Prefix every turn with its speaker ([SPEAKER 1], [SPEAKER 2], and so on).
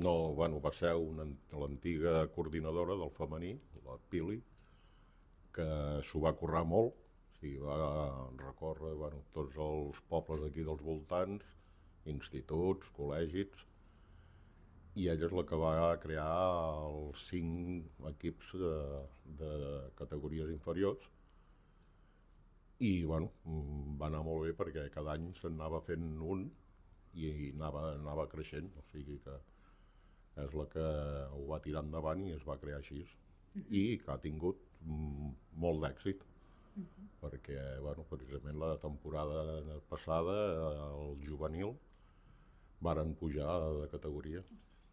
[SPEAKER 1] No, bueno, va ser l'antiga coordinadora del femení, la Pili, que s'ho va currar molt, o sigui, va recórrer tots els pobles d'aquí dels voltants, instituts, col·legis, i ella és la que va crear els 5 equips de categories inferiors i va anar molt bé perquè cada any se'n anava fent un i anava creixent, o sigui que és la que ho va tirar endavant i es va crear així i que ha tingut molt d'èxit perquè precisament la temporada passada el juvenil varen pujar de categoria.